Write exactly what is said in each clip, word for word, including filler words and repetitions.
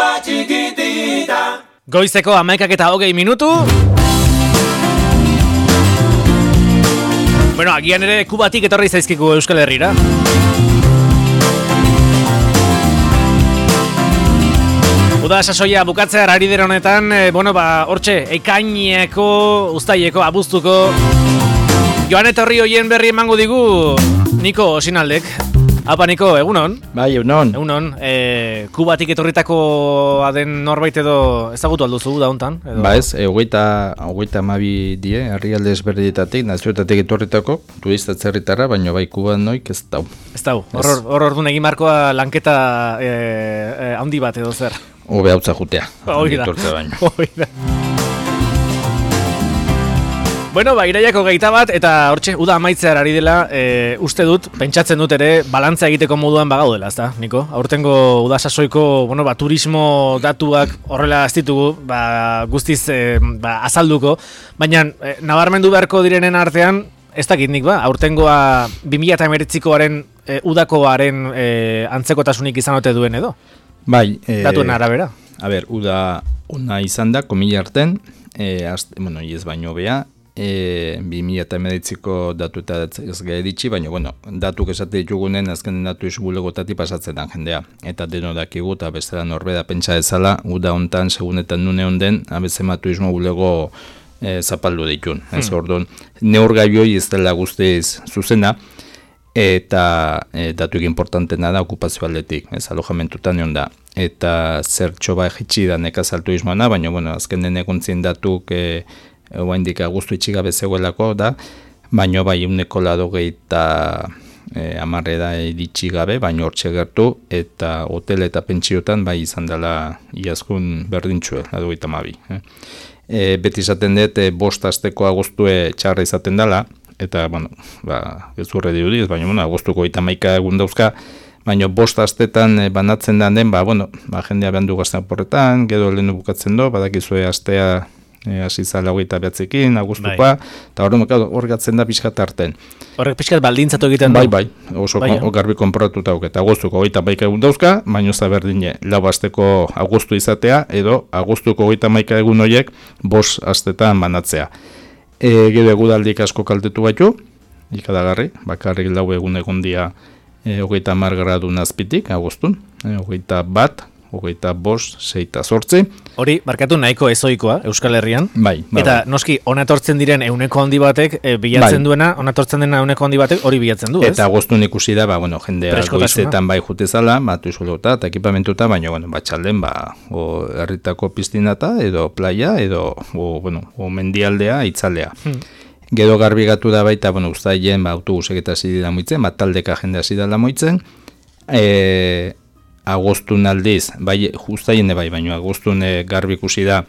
rumba chiquitita. Goizeko hamaikak eta hogei minutu. Bueno, agian ere Kubatik etorri zaizkigu Euskal Herrira. Uda sasoia bukatzear ari dira honetan, e, bueno, ba, hortxe, ekaineko, uztaileko, abuztuko joan etorri hoien berri emango digu Niko Osinaldek. Apa, Niko, egunon? Bai, egunon. Egunon, e, Kubatik etorritakoa den norbait edo ezagutu alduzu da hontan? Ba ez, hogeita hamabi die, herrialde ezberdinetatik, nazioetatik etorritako, turista atzerritarra, baina bai Kuban noik ez dau. Ez dau, hor hor orduan egin markoa lanketa e, e, handi bat edo zer? Hobe hautza jutea, hori da, baino. hori da. Bueno, ba, iraiako geita bat, eta hortxe, uda amaitzear ari dela, e, uste dut, pentsatzen dut ere, balantza egiteko moduan bagaudela, ezta, Niko? Aurtengo uda sasoiko, bueno, ba, turismo datuak horrela ez ditugu, ba, guztiz e, ba, azalduko, baina e, nabarmendu beharko direnen artean, ez dakit nik, ba, aurtengoa bi mila hemeretzikoaren e, udakoaren e, antzekotasunik izan ote duen edo? Bai. E, Datuen arabera. A ber, uda ona izan da, komila arten, e, azte, bueno, ez baino bea, E, bi mila hemeretziko datu eta ez gaitxi, baina bueno, datuk esate ditugunen azken datu bulegotati pasatzen da jendea. Eta deno dakigu eta bestela norbeda pentsa ezala, uda hontan segunetan nune honden, abezema turismo bulego e, zapaldu ditun. Hmm. Ez orduan, neurgaioi ez dela guztiz zuzena, eta e, datuik importantena da okupazio aldetik, ez alojamentutan egon da. Eta zertxo ba egitsi da nekazal turismoana, baina bueno, azken den eguntzien datuk e, Oa indika guztu itxigabe zegoelako da, baino bai euneko ladogei eta e, amarre da iritsi gabe, baino hortxe gertu, eta hotel eta pentsiotan bai izan dela iazkun berdintxue, ladogei eta mabi. Eh. E, beti izaten dut, e, bost asteko agustue txarra izaten dela, eta, bueno, ba, ez urre dirudiz, baina, bueno, agustuko eta maika egun dauzka, baina bost astetan e, banatzen da den, ba, bueno, ba, jendea behan du gazten porretan, gero lehenu bukatzen do, badakizue astea, hasi zala hogeita behatzekin, agustukoa, eta hor gatzen da pixkat arten. Horrek pixkat baldintzatu egiten du? Bai, bai, oso bai, garbi konpratuta hau, eta agustuko hogeita maika egun dauzka, baino za berdine, lau asteko agustu izatea, edo agustuko hogeita maika egun horiek bos astetan banatzea. E, gero egudaldik asko kaltetu baitu, ikadagarri, bakarrik lau egun egon dia e, hogeita mar gradu nazpitik, agustun, e, hogeita bat, hogeita bost, seita zortzi. Hori, markatu nahiko ezoikoa, Euskal Herrian. Bai. bai eta bai. noski, onatortzen diren euneko handi batek, e, bilatzen bai. duena, onatortzen dena euneko handi batek, hori bilatzen du, ez? Eta agostun ikusi da, ba, bueno, jendea goizetan bai jutezala, batu izolota, eta ekipamentuta, baina, bueno, batxalden, ba, o herritako piztinata, edo playa, edo, o, bueno, o mendialdea, itzalea. Hmm. Gero garbigatu da baita, bueno, uztaien, ba, autobusek eta hasi dira moitzen, ba, taldeka jende hasi dela moitzen, e, agostun aldiz, bai, justaien bai, baina agostun garbi ikusi da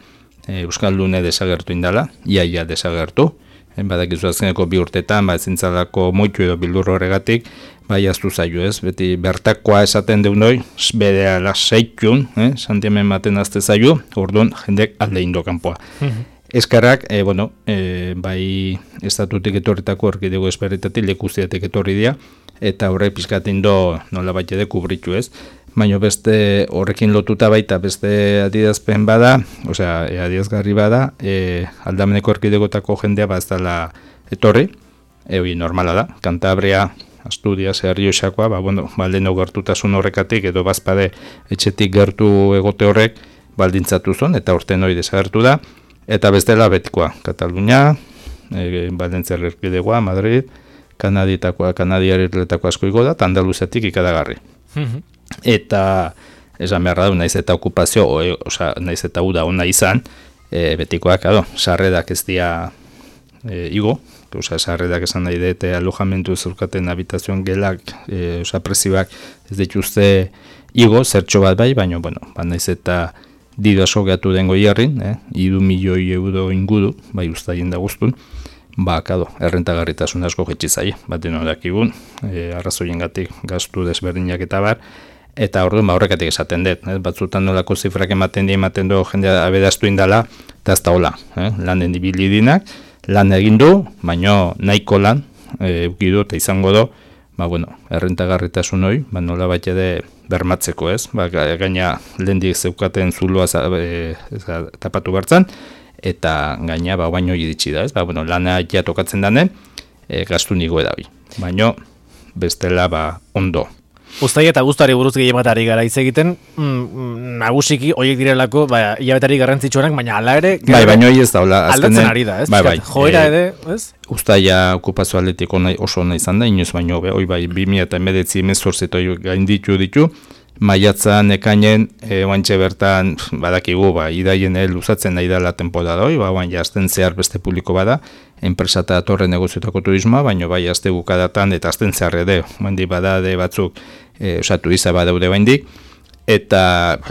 e, Euskaldune desagertu indala, iaia desagertu, e, badakizu azkeneko bi urtetan, ba, ezintzalako moitu edo bildur horregatik, bai, aztu zaio ez, beti bertakoa esaten deunoi, bere ala seitun, eh, santiamen maten azte zaio, orduan jendek alde indo kanpoa. Mm-hmm. Eskarrak, e, bueno, e, bai, estatutik etorritako erkidego esperritatik, lekuziatek etorri dira, eta horrek pizkaten do nola baita de kubritu ez, baina beste horrekin lotuta baita beste adierazpen bada, osea, e, adierazgarri bada, e, aldameneko erkidegotako jendea ba ez dela etorri, e, hori normala da, Kantabria, Asturias, Errioxakoa, ba, bueno, baldeno gertutasun horrekatik, edo bazpade etxetik gertu egote horrek, baldintzatu zon, eta orten hori desagertu da, eta bestela betikoa, Katalunia, e, Baldentzer erkidegoa, Madrid, Kanadietakoa, Kanadiarretako asko igo da, eta Andaluziatik ikadagarri. Mm-hmm. Eta esan beharra du, naiz eta okupazio, o, oza, naiz eta uda ona izan, e, betikoak, ado, sarredak ez dia e, igo, oza, sarredak esan nahi dute alojamentu zurkaten habitazioan gelak, e, oza, prezioak ez dituzte igo, zertxo bat bai, baina, bueno, ba, naiz eta dido aso gehatu dengo jarrin, eh, idu milioi euro ingudu, bai ustaien da guztun, ba, kado, errentagarritasun asko jetxizai, baten horakigun, e, arrazoien gatik gastu desberdinak eta bar, eta orduan ba horrekatik esaten dut, eh? Batzutan nolako zifrak ematen di, ematen du jendea abedaztu indala, eta ez da hola, eh? Lanen ibilidinak, lan egin du, baino nahiko lan, e, eukidu eta izango du, ba, bueno, errentagarritasun hori, ba, nola bat ere bermatzeko, ez? Ba, gaina lehendik zeukaten zuloa e, tapatu bertzan, eta gaina ba, baino iritsi da, ez? Ba, bueno, lana ja tokatzen dane, e, gastu nigo edabi. Baino, bestela ba, ondo. Uztai eta guztari buruz gehiematari gara hitz egiten, mm, nagusiki horiek direlako, ba, hilabetari garrantzitsuenak, baina hala ere... Bai, baina hori ez daula. Aldatzen ari da, ez? Bai, bai. Joera ere, ez? Uztaia okupazio atletiko oso nahi izan da, inoz baino, hori bai, bi mila hemeretzi emezortzi gainditu ditu, maiatzan ekainen, e, oantxe bertan, badakigu, ba, idaien e, luzatzen nahi dela temporada hori, ba, oan jazten zehar beste publiko bada, enpresa eta torre negoziotako turismoa, baino bai, azte bukadatan eta azten zehar ere, bandi badade batzuk, e, oza, turista badaude baindik, eta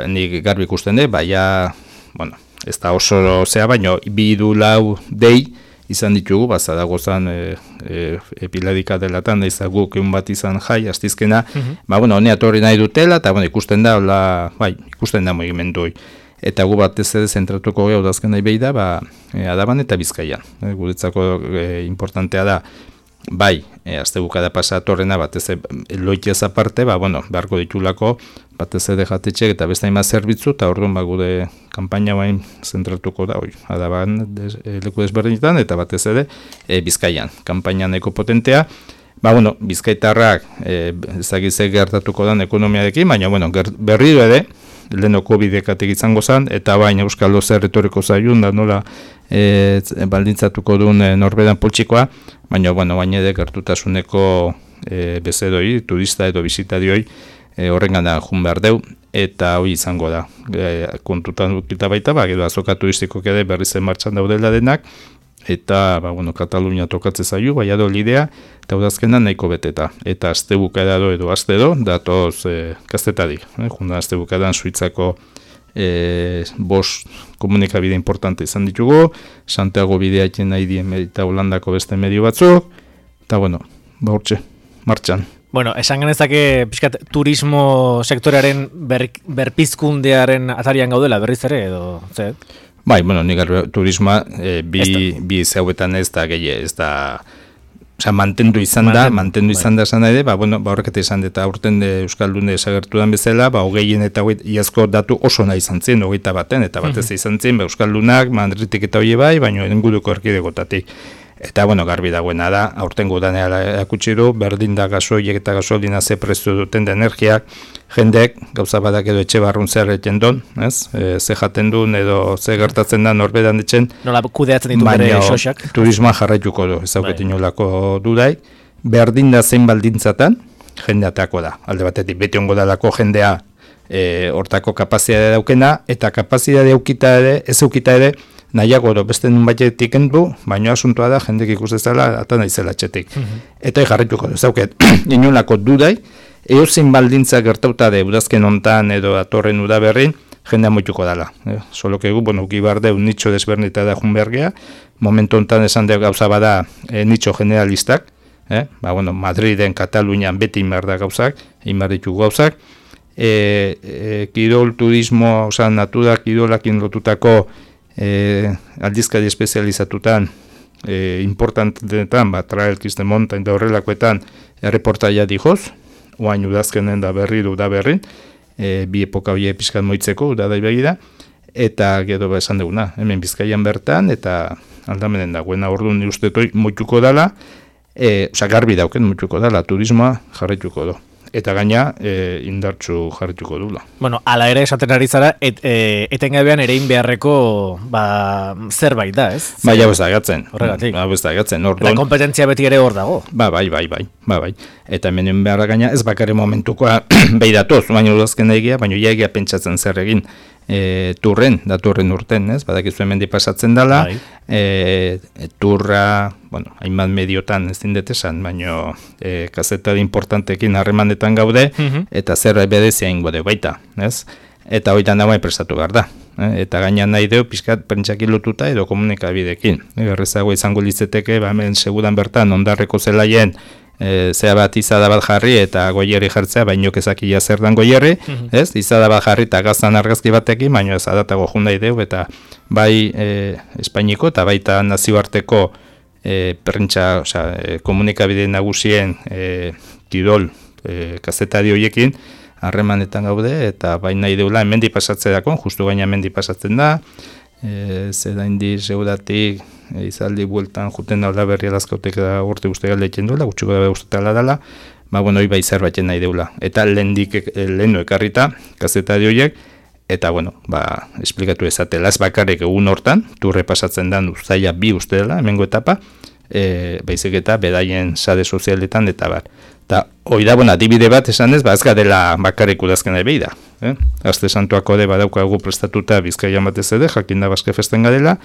nik garbi ikusten de, baina, bueno, ez da oso zea, baino, bi du lau dei, izan ditugu, bazada gozan e, e, epiladika delatan, ez da guk egun bat izan jai, astizkena, mm-hmm. ba, bueno, honea torri nahi dutela, eta, bueno, ikusten da, hola, bai, ikusten da mugimendu hori. Eta gu batez ere zentratuko gehu dazken nahi behi da, ba, e, Adaban eta Bizkaian. E, guretzako e, importantea da, bai, e, azte bukada pasatorrena, batez ere loitiaz aparte, ba, bueno, beharko ditulako, batez ere jatetxek eta beste hainbat zerbitzu, eta orduan ba, gure kanpaina bain zentratuko da, oi, Adaban des, e, leku desberdinetan, eta batez ere e, Bizkaian. Kanpaina nahiko potentea, ba, bueno, bizkaitarrak e, ezagizek gertatuko dan ekonomiarekin, baina, bueno, berriro ere, leheno COVID-ekatik izango zen, eta baina Euskal Doze retoriko zaiun, da nola e, baldintzatuko duen e, norberan poltsikoa, baina, bueno, baina ere gertutasuneko e, bezedoi, turista edo bizitarioi e, horrengana jun behar deu, eta hori izango da. E, kontutan dukita baita, ba, gero azoka turistikok ere berriz martxan daudela denak, eta, ba, bueno, Katalunia tokatze zaio, bai ado lidea, eta udazkena nahiko beteta. Eta azte bukaera edo azte do, datoz e, kastetadik. Eh? Junda azte bukaeran Suitzako e, bos komunikabide importante izan ditugu, Santiago bidea iten nahi dien eta Holandako beste medio batzuk, eta, bueno, ba hortxe, martxan. Bueno, esan genezake pixkat turismo sektorearen ber, berpizkundearen atarian gaudela berriz ere, edo, ze? Bai, bueno, nik turismoa e, bi, bi zeuetan ez da gehi, ez da, oza, mantendu izan da, mantendu, mantendu izan bai. Da esan ere, ba, bueno, ba, horrek eta izan, eta aurten de Euskaldune esagertu dan bezala, ba, hogeien eta hogeit, iazko datu oso nahi izan zen, hogeita baten, eta batez mm-hmm. izan zen, ba, Euskaldunak, Madritik eta hoi bai, baina inguruko erkidegotatik. Eta, bueno, garbi dagoena da, aurten gudaneala erakutsi du, berdin da gasoiek eta gasolina ze prezio duten da energiak, jendek, gauza badak edo etxe barrun zer eten don, ez? E, ze jaten duen edo ze gertatzen da norberan etxen. Nola kudeatzen ditu bere sosak. Turismoa jarraituko du, ez dauketin olako dudai. Berdin da zein baldintzatan, jendeatako da. Alde batetik, beti ongo dalako jendea e, hortako kapazitatea daukena, eta kapazitatea eukita ere, ez eukita ere, nahiago do, beste nun batetik endu, baina asuntoa da, jendek ikustezala, eta nahizela txetik. Mm-hmm. Eta jarrituko du, zauket, inolako dudai, eozin baldintza gertauta de udazken hontan edo atorren udaberrin, jendea moituko dala. Eh? Solo que gu, bueno, gibarde un nicho desbernita da junbergea, momentu hontan esan de gauza bada e, nicho generalistak, eh? Ba, bueno, Madriden, Katalunian beti inbar da gauzak, inbar ditu gauzak, e, e, kirol, turismo, oza, natura, kirolakin lotutako E, aldizkari espezializatutan e, importantetan, ba, Trail Kiste Mountain da horrelakoetan erreportaia dijoz, oain udazkenen da berri du da berrin, e, bi epoka hori pixkat moitzeko, da da begira, eta gero ba esan duguna, hemen Bizkaian bertan, eta aldamenen dagoena orduan ustetoi moituko dala, e, oza, garbi dauken moituko dala, turismoa jarraituko du. Eta gaina e, indartsu jarrituko dula. Bueno, ala ere esaten ari zara, et, e, etengabean erein beharreko ba, zerbait da, ez? Ba, ja ez da gatzen. Horregatik. Ba, ez da gatzen. Eta kompetentzia beti ere hor dago. Ba, bai, bai, bai. Ba, bai. Eta hemen beharra gaina ez bakarri momentukoa behi datoz, baina udazken egia, baina egia pentsatzen zer egin. E, turren, da turren urten, ez? Badakizu hemen pasatzen dela, e, e, turra, bueno, hainbat mediotan ez dindet esan, baina e, kazetari importantekin harremanetan gaude, mm-hmm. eta zer bedezia ingo deu baita, ez? Eta hoitan dagoen prestatu behar da. Eh? Eta gainan nahi deu, pixkat pentsaki lotuta edo komunikabidekin. Errezago izango lizeteke, ba, hemen segudan bertan, ondarreko zelaien, E, zea bat izada bat jarri eta goierri jartzea, baino kezakia zer dan goierri, mm-hmm. ez? Izada bat jarri eta gaztan argazki batekin, baino ez adatago jundai deu, eta bai e, Espainiko eta baita nazioarteko e, prentsa, osea, e, komunikabide nagusien e, Tirol e, kazetari horiekin harremanetan gaude, eta baina nahi deula hemendi pasatzerako, justu gaina hemendi pasatzen da, e, zera indi seguratik e, izaldi bueltan juten alda berri alazkautek da urte guzti galdetzen duela, gutxiko da guztetala dela, ba, bueno, hoi bai zerbatzen nahi deula. Eta lehendik, lehenu ekarrita, kazetari horiek, eta, bueno, ba, esplikatu ezatela, ez bakarrik egun hortan, turre pasatzen da uztaila bi uste dela, hemengo etapa, e, baizik eta bedaien sare sozialetan eta bar. Eta, hoi da, bueno, adibide bat esan ez, ba, ez gadela bakarrik udazken nahi behi da. Eh? Aste santuako de badaukagu prestatuta Bizkaia batez ere, jakin da Baske festen gadela,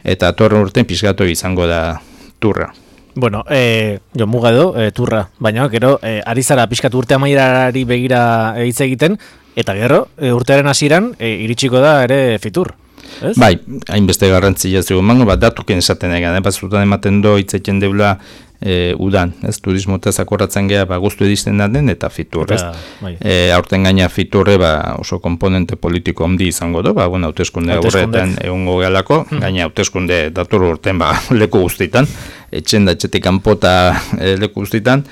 eta atorren urten pixkatu izango da turra. Bueno, eh, jo muga edo, eh, turra, baina gero, eh, ari zara pixkatu urte amaierari begira hitz egiten, eta gero, eh, urtearen hasieran eh, iritsiko da ere fitur. Ez? Bai, hainbeste garrantzia ez dugu mango, bat datuken esaten egan, eh? Batzutan ematen do hitzeken deula e, udan, ez, turismotaz akorratzen geha, ba, guztu edizten da den, eta fitur, ez? Bai. E, aurten gaina fiturre, ba, oso komponente politiko handi izango do, ba, bueno, hauteskunde aurretan egongo gehalako, hmm. gaina hauteskunde datur urten, ba, leku guztitan, etxen da etxetik kanpota e, leku guztitan,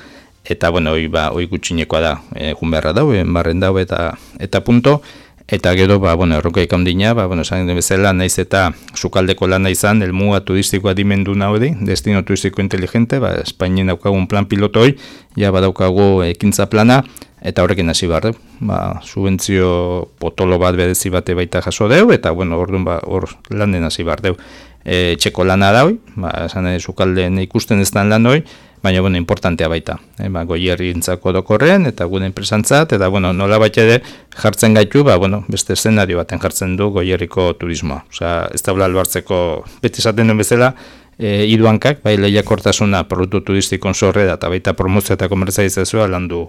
eta, bueno, hoi, ba, hoi gutxinekoa da, e, junberra dau, enbarren dau, eta, eta punto. Eta gero, ba, bueno, erronkaik handina, ba, bueno, esan den bezala, naiz eta sukaldeko lana izan, elmuga turistikoa dimendu naudi, destino turistiko inteligente, ba, Espainien daukagun plan pilotoi, ja badaukagu ekintza plana, eta horrekin hasi behar, ba, subentzio potolo bat berezi bate baita jaso deu, eta, bueno, orduan, ba, hor lanen hasi behar deu. E, txeko lana da hoi, ba, esan den sukalden ikusten ez dan lan hoi, baina, bueno, importantea baita. E, ba, goierri intzako dokorren, eta gure enpresantzat, eta, bueno, nola baita ere jartzen gaitu, ba, bueno, beste eszenario baten jartzen du goierriko turismoa. Osea, ez da albartzeko, beti esaten duen bezala, e, iduankak, bai lehiakortasuna produktu turistikon sorrera, eta baita promozioa eta komertzializazioa landu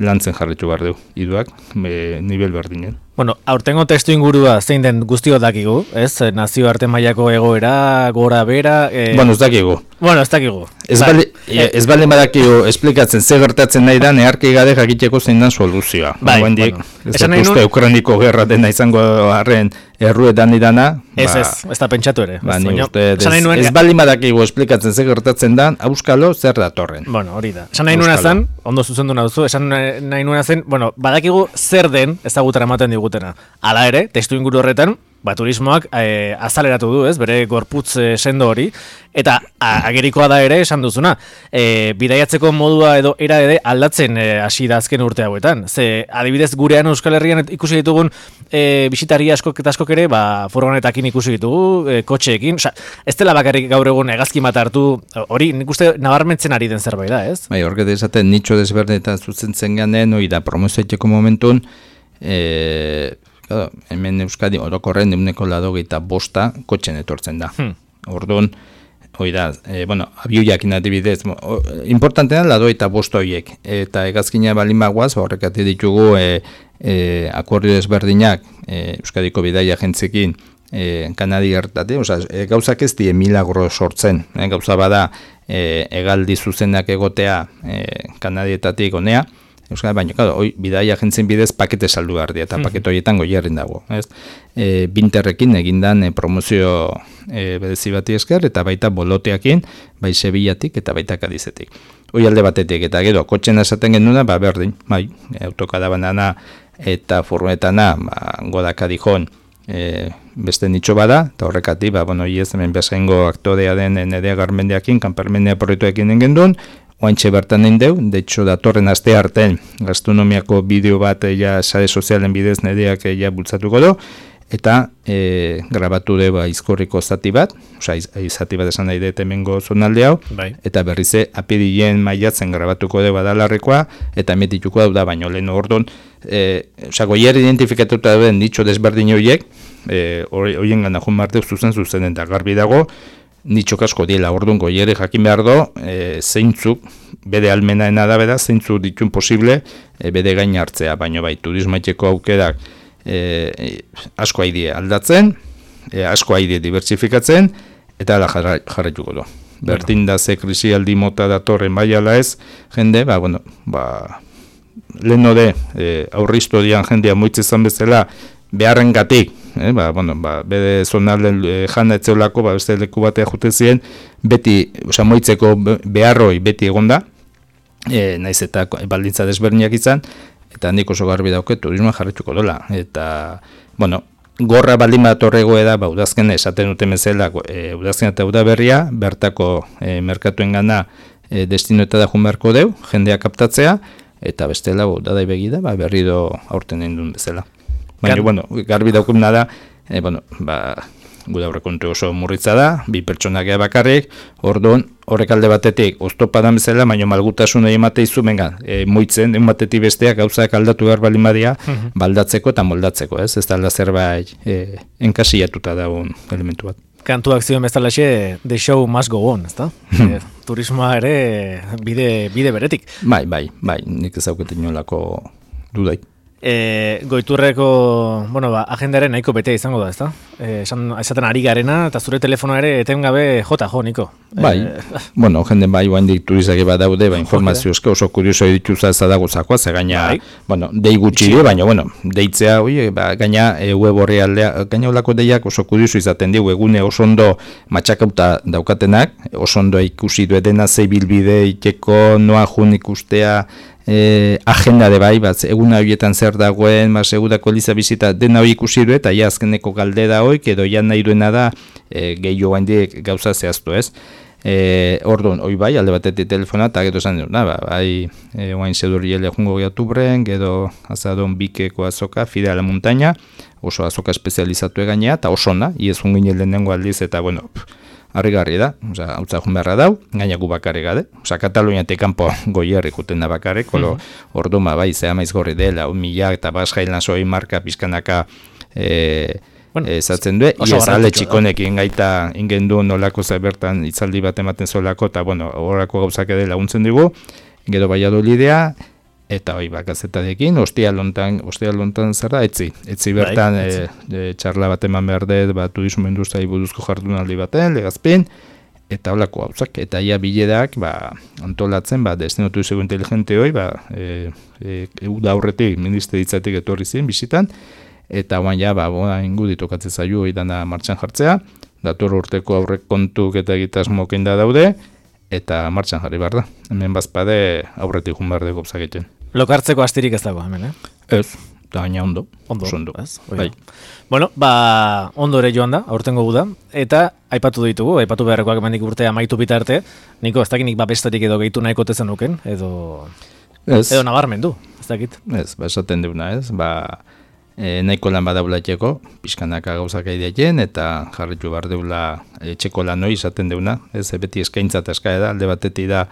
lantzen jarritu behar du, iduak, e, nivel berdinen. Bueno, aurtengo testu ingurua zein den guztio dakigu, ez? Nazioarte mailako egoera, gora bera... E... Bueno, ez dakigu. Bueno, ez dakigu. Ez, ba, bali, e... ez bali badakigu esplikatzen ze gertatzen nahi da, neharki gade jakiteko zein den soluzioa. Bai, ba, bueno. Ez da uste Ukraniko gerra dena izango harren erruetan idana. Ez ba, ez, ez da pentsatu ere. Ba, ni uste, ez, ez bali badakigu esplikatzen ze gertatzen da, auskalo zer datorren. Bueno, hori da. Esan nahi nuena zen, ondo zuzendu nauzu, esan nahi nuena zen, bueno, badakigu zer den ezagutara ematen digutena. Hala ere, testu inguru horretan, ba, turismoak e, azaleratu du, ez, bere gorputz e, sendo hori, eta a, agerikoa da ere esan duzuna, e, bidaiatzeko modua edo era ere aldatzen hasi da azken urte hauetan. Ze, adibidez gurean Euskal Herrian ikusi ditugun e, bisitari askok eta askok ere, ba, furgonetakin ikusi ditugu, e, kotxeekin, oza, ez dela bakarrik gaur egun hegazki bat hartu, hori nik uste nabarmentzen ari den zerbait da, ez? Bai, horret esaten nitxo desberdenetan zuzentzen ganen, hori da promozioeteko momentun, e, hemen Euskadi orokorren euneko laurogeita bosta kotxen etortzen da. Hmm. Orduan, hoi da, e, bueno, abioiak inadibidez, importantean laurogeita bost horiek, eta hegazkina balin bagoaz, horrekati ditugu e, e, akordio ezberdinak e, Euskadiko bidaia jentzekin e, Kanadi hartate, oza, e, gauzak ez die milagro sortzen, e, gauza bada e, egaldi zuzenak egotea e, Kanadietatik honea, Euskal, baina, claro, hoi, bidaia agentzien bidez pakete saldu behar di, eta mm. pakete horietan goierrin dago. Ez? E, binterrekin egindan e, promozio e, berezi bati esker, eta baita boloteakin, bai Sevillatik eta baita Kadizetik. Hoi alde batetik, eta gero, kotxen esaten genuna, ba, berdin, bai, autokadabanana eta furgonetana, ba, Godaka dijon, e, beste nitxo bada, eta horrekati, ba, bueno, hiez, hemen bezaingo aktorea den Nerea Garmendeakin, kanpermendea proiektuekin engendun, oaintxe bertan egin deu, de hecho datorren aste artean gastronomiako bideo bat ja sare sozialen bidez Nereak ja bultzatuko do, eta e, grabatu deu aizkorriko zati bat, osea izati bat esan nahi dut hemengo zonalde hau, bai. Eta berrize apirilen maiatzen grabatuko deu adalarrekoa, eta emetituko dau da baino lehen ordon, e, osea goier identifikatuta duen ditxo desberdin horiek, e, horien gana jun marteu zuzen zuzen eta garbi dago, nitxok asko diela, orduan goiere jakin behar do, e, zeintzuk, bede almenaena da beda, zeintzuk ditun posible, e, bede gain hartzea, baino bai, turismaiteko aukerak e, asko haidie aldatzen, e, asko haidie dibertsifikatzen, eta ala jarraituko do. Bertin da ze krisialdi mota datorren bai ala ez, jende, ba, bueno, ba, lehen de, e, aurri historian jendea moitzezan bezala, beharren gatik, eh, ba, bueno, ba, bede zonalden e, jana etzeolako, ba, beste leku batea jute ziren, beti, oza, moitzeko beharroi beti egonda, e, naiz eta baldintza desberdinak izan, eta nik oso garbi dauke turismoa jarrituko dola. Eta, bueno, gorra baldin bat horrego da, ba, udazken esaten duten bezala, e, udazken eta udaberria, bertako e, merkatuen gana e, destinoeta da jun beharko deu, jendea kaptatzea, eta bestela udadai begida, ba, berri do aurten egin duen bezala. Baina, Gar... bueno, garbi daukuna da, e, bueno, ba, guda aurrekontu oso murritza da, bi pertsonak bakarrik, orduan, horrek alde batetik, oztopadan bezala, baina malgutasun egin mate izu, benga, e, moitzen, egin batetik besteak gauzak aldatu behar balin badia, uh-huh. baldatzeko eta moldatzeko, ez? Ez da alda zerbait e, enkasillatuta dagoen elementu bat. Kantuak zion bezalaxe, the show must go on, ezta? e, turismoa ere bide, bide beretik. Bai, bai, bai, nik ez dauket inolako dudai. E, goiturreko, bueno, ba, agendaren nahiko betea izango da, ezta? E, esan, esaten ari garena, eta zure telefonoa ere etengabe jota jo, Niko. Bai, e, bueno, jenden bai, guain dik turizak eba daude, ba, informaziozke oso kurioso edituza ez da gozakoa, ze gaina, bai. bueno, dei gutxi di, baina, bueno, deitzea, oi, ba, gaina e, web horri aldea, gaina olako deiak oso kurioso izaten digu, egune oso ondo matxakauta daukatenak, oso ondo ikusi du edena zei bilbide, iteko, noa jun ikustea, E, agenda de bai, bat, eguna horietan zer dagoen, ba, segurako liza bizita dena hori ikusi du, eta ja azkeneko galde da hoik, edo ja nahi duena da e, gehiago handiek gauza zehaztu, ez? E, orduan, hoi bai, alde batetik telefona, eta gero esan dut, ba, bai, e, oain zedurri ele jungo gehiatubren, gero azadon bikeko azoka, fide a la montaña, oso azoka espezializatu egainea, eta oso na, iez jungin lehenengo aldiz, eta bueno, pff, harrigarri da, oza, hau zahun beharra dau, gainaku bakarrik gade, oza, Kataluniatik kanpo goierrik uten da bakarrik, olo, mm-hmm. orduma bai, zea maiz gorri dela, un mila eta basjailan zoi marka pizkanaka e, bueno, ezatzen du, iez ale txikonekin gaita ingen du nolako bertan itzaldi bat ematen zolako, eta bueno, horako gauzak edela laguntzen dugu, gero Valladolidea, eta hoi bakazetadekin, ostia lontan, ostia lontan zer da, etzi, etzi bertan bai, etzi. E, e, txarla bat eman behar dut, ba, turismo industriai buruzko jardunaldi baten, legazpin, eta holako gauzak, eta ia biledak, ba, antolatzen, ba, destino turismo inteligente hoi, ba, e, e, da aurretik, ministeritzatik etorri ziren, bisitan, eta guan ja, ba, boa ingu ditokatzen zaio hoi dana martxan jartzea, dator urteko aurrek kontuk eta egitasmokein da daude, eta martxan jarri behar da. Hemen bazpade aurretik jun behar dugu egiten. Lokartzeko astirik ez dago hemen, eh? Ez, eta gaina ondo. Ondo, ondo. Ez? Bai. Bueno, ba, ondo ere joan da, aurtengo guda, eta aipatu ditugu, aipatu beharrekoak emandik urtea amaitu bitarte, Niko, ez dakinik ba bestarik edo gehitu nahiko tezen nuken, edo... Ez. Edo nabarmendu, ez dakit. Ez, ba, esaten deuna, ez, ba... E, nahiko lan badaulateko, pixkanaka gauzak aideaien, eta jarritu behar deula etxeko lan hori izaten deuna, ez, beti eskaintza eta eskaia da, alde batetik da,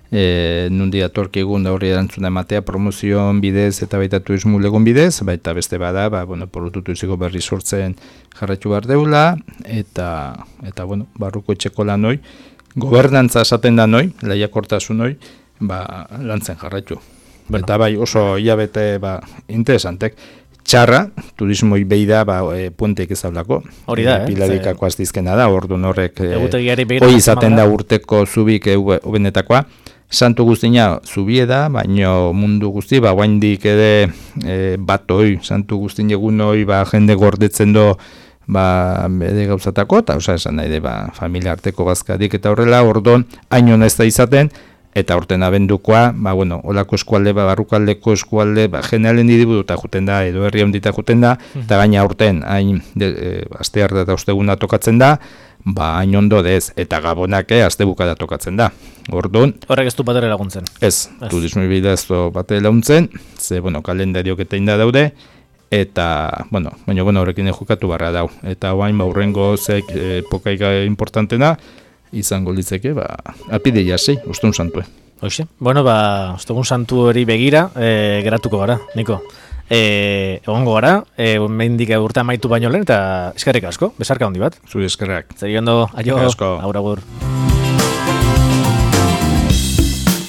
e, nundi atorki egun da horri erantzuna ematea promozioan bidez eta baita turismo legon bidez, baita beste bada, ba, bueno, porrututu iziko berri sortzen jarritu behar deula, eta, eta bueno, barruko etxeko lan hori, gobernantza esaten da noi, lehiakortasun hori, ba, lantzen jarraitu. Bueno. Eta bai, oso hilabete, ba, interesantek, txarra, turismoi behi da, ba, e, puenteik ez hablako. Hori da, eh? Pilarikako aztizkena da, orduan horrek, hori e, izaten da urteko zubik ubenetakoa. Santu guztina zubie da, baino mundu guzti, ba, guaindik ere e, bat hoi, santu guztin egun hoi, ba, jende gordetzen do, ba, bede gauzatako, eta osa esan nahi de, ba, familia arteko bazkadik eta horrela, orduan, hain hona ez da izaten, eta horten abendukoa, ba, bueno, olako eskualde, ba, barrukaldeko eskualde, ba, generalen didibudu eta juten da, edo herri ondita juten da, eta gaina horten, hain, e, aste harta eta osteguna tokatzen da, ba, hain ondo dez, eta gabonake aste bukada tokatzen da. Orduan, horrek ez du batere laguntzen. Ez, ez. Turismo bida ez du batere laguntzen, ze, bueno, kalendariok eta inda daude, eta, bueno, baina, bueno, horrekin jokatu barra dau. Eta hain, ba, urrengo zek epokaiga importantena, izango litzeke, ba, apide jasei, Ostegun Santue. Hoxe, bueno, ba, Ostegun Santu hori begira, e, geratuko gara, Niko. E, egongo gara, e, mendik urte amaitu baino lehen, eta eskerrik asko, besarka handi bat. Zuri eskerrak. Zer ondo, aio, agur agur.